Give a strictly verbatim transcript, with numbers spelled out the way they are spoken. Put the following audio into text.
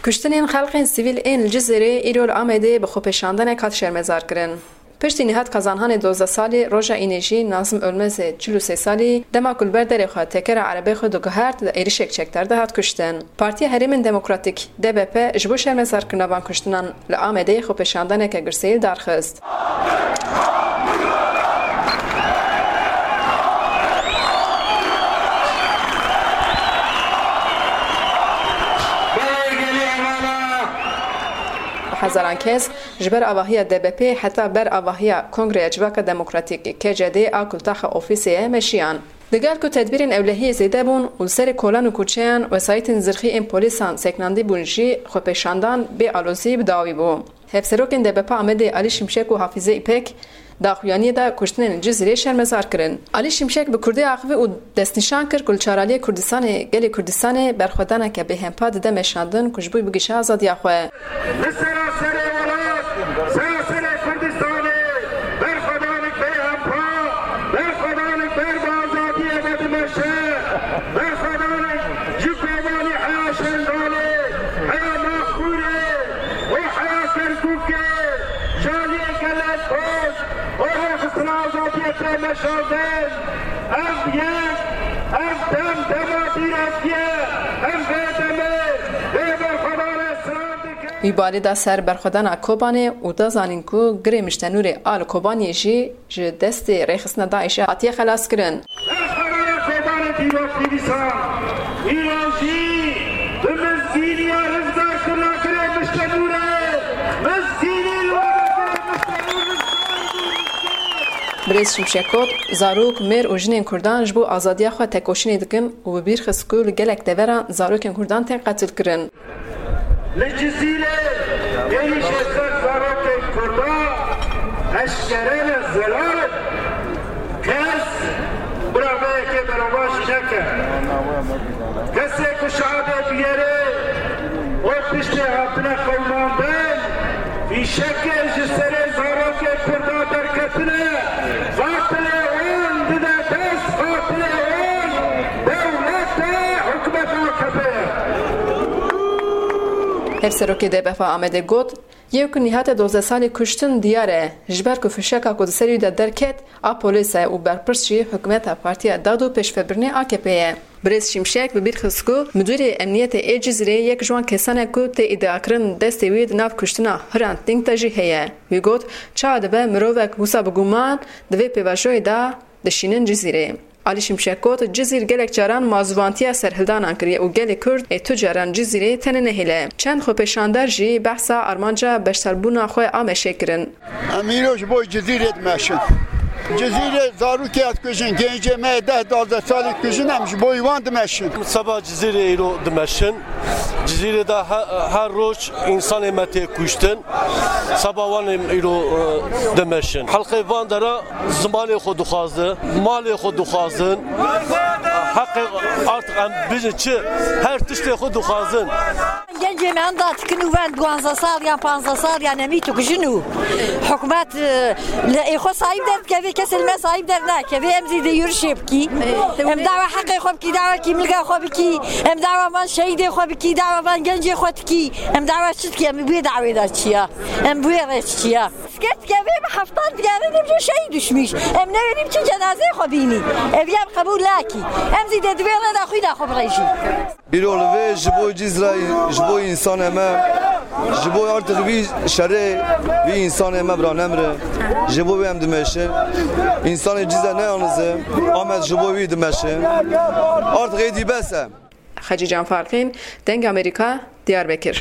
Kuştinên xelkên sivîl ên li Cizîrê îro li Amedê bi xwepêşandanek hat şermezarkirin. Piştî Nihat Kazanhanê dozdeh salî, roja Înê jî Nazim Ölmezê çil û sê salî, dema ku li ber derê xwe tekera erebê xwe diguhert, di êrişek çekdar de hat kuştin. Partiya Herêmên Demokratîk, D B P, ji bo şermezarkirina van kuştinan li Amedê xwepêşandaneke girseyî li dar xist. Hezaran kes ji ber avahiya D B P heta ber avahiya Kongreya Civaka Demokratîk, K C D, a ku li taxa ofîsê ye, meşiyan. Digel ku tedbîrên ewlehiyê zêde bûn û li serê kolan û koçeyan wesayîtên zirxî ên polîsan sekinandî bûn jî, xwepêşandan bê alozî bi dawî bû. Hevserokên D B P Amedê Alî Şimşek û Hafîze Îpek daxuyaniyê de kuştinên li Cizîrê şermezar kirin. Alî Şimşek bi kurdî axivî û destnîşan kir ku li çaraliyê Kurdistanê, gelê Kurdistanê berxwedaneke bêhempa dide meşandin ku ji bo bigihîşe azadiya xwe. Li seraserê welat, seraserê Kurdistanê berxwedanek bêhempa, berxwedanek ber bi azadiyê ve dimeşe, berxwedanek ji kobanî heya Şengalê, heya Naxûrê û heya Kerkûkê, ji aliyê gelek Kurd û rêxistina azadiyê tê meşandin. Ev yek, ev dem dema dîrokî ye, em vê demê, vê berxwedanê silav dikin. Wî balê da ser berxwedana Kobanê û da zanîn ku girê Miştenûrê a li Kobaniyê jî ji destê rêxistina DAIŞê hatiye xelaskirin. Berxwedana Kobanê dîrokî dîsan, îro jî bi mizgîniya rizgarkirina girê Miştenûrê, mizgînî li wê girê Miştenûr rizgar bû. Birêz Şimşek got, zarok, mêr û jinên Kurdan ji bo azadiya xwe tekoşînê dikin û bi bîr xist ku li gelek deveran zarokên Kurdan tên qetilkirin. Li Cizîrê êrîşê ser zarokên Kurdan eşkere ne, zelal in. Kes bira vê yekê berovajî neke. Kesê ku şehadê biyerê û piştê hatine qewimandin, fîşekê ji serê zarokê Kurda derketine, qatilê wan dide dest qatilê wan, dewlet e, hikûmet A K P ye. Hevserokê D B P Amedê got, yê ku Nîhatê dozdeh salî kuştin diyar e, ji ber ku fişeka ku di ser wî de derket, a polîs e û berpirs jî hikûmeta Partiya Dad û Pêşvebirinê A K P ye. Birêz Şimşek bi bîr xist ku Midûrê Emniyetê ê Cizîrê yek ji wan kesan e ku tê îdiakirin destê wî di nav kuştina Hrant Dîng de jî heye. Wî got, çawa dibe mirovek wisa bi guman di vê pêvajoyê de dişînin Cizîrê. Alî Şimşek got, Cizîr gelek caran mazûvantiya serhildanan kiriye û gelê Kurd ê tu caran Cizîrê tene nehêle. Çend xwepêşandar jî behsa armanca beşdarbûna xwe a meşê kirin. Em îro ji bo Cizîrê dimeşin. Cizîrê zarokê dikujin, gencê me deh duwazdeh salî dikujin, em ji bo wan dimeşin. Seba Cizîrê îro dimeşin. Cizîrê de he-, her roj însanê me tê kuştin. Seba wan em îro, e, dimeşin. Xelkê van dera zimanê xwe dixwazin, malê xwe dixwazin. Heqê artık em bijin çi, her tiştê xwe dixwazin. Gencê me enda dikin û ven duwazdeh sal yan panzdeh sal yan emî tu jin û hikûmet, e, li ê xwe sahîb derdikeve, kesê li me sahîb dernakeve. Em zî dê yurişê bikî. Em dawa heqê xwe bikî, dawa kîmliga xwe bikî. Em dawa van şehîdê xwe bikî, dawa van gencê xwe dikî. Em dawa çi dikî? Em bi wê dawê de çi ya? Em bi wê re çi ya? Sker dikeve, bi heftan digerin, em jî şehîd düşmüş. Em newêrî biçin cenazeyê xwe bînî. Ev ya qebûl nakî. Em zî dê di vê re de xwîna xwe birêjî. Îro li vê ji bo Cizrayî, ji bo însanê me, ji bo artık vî şerê, vî însanê me bira nemre, ji bo wê em dimeşin. Însanê Cizre ne yalnız e, Amed ji bo wî dimeşin. Artık êdî bes e. Xecîcan Farqîn, Dengê Amerîka, Diyarbekir.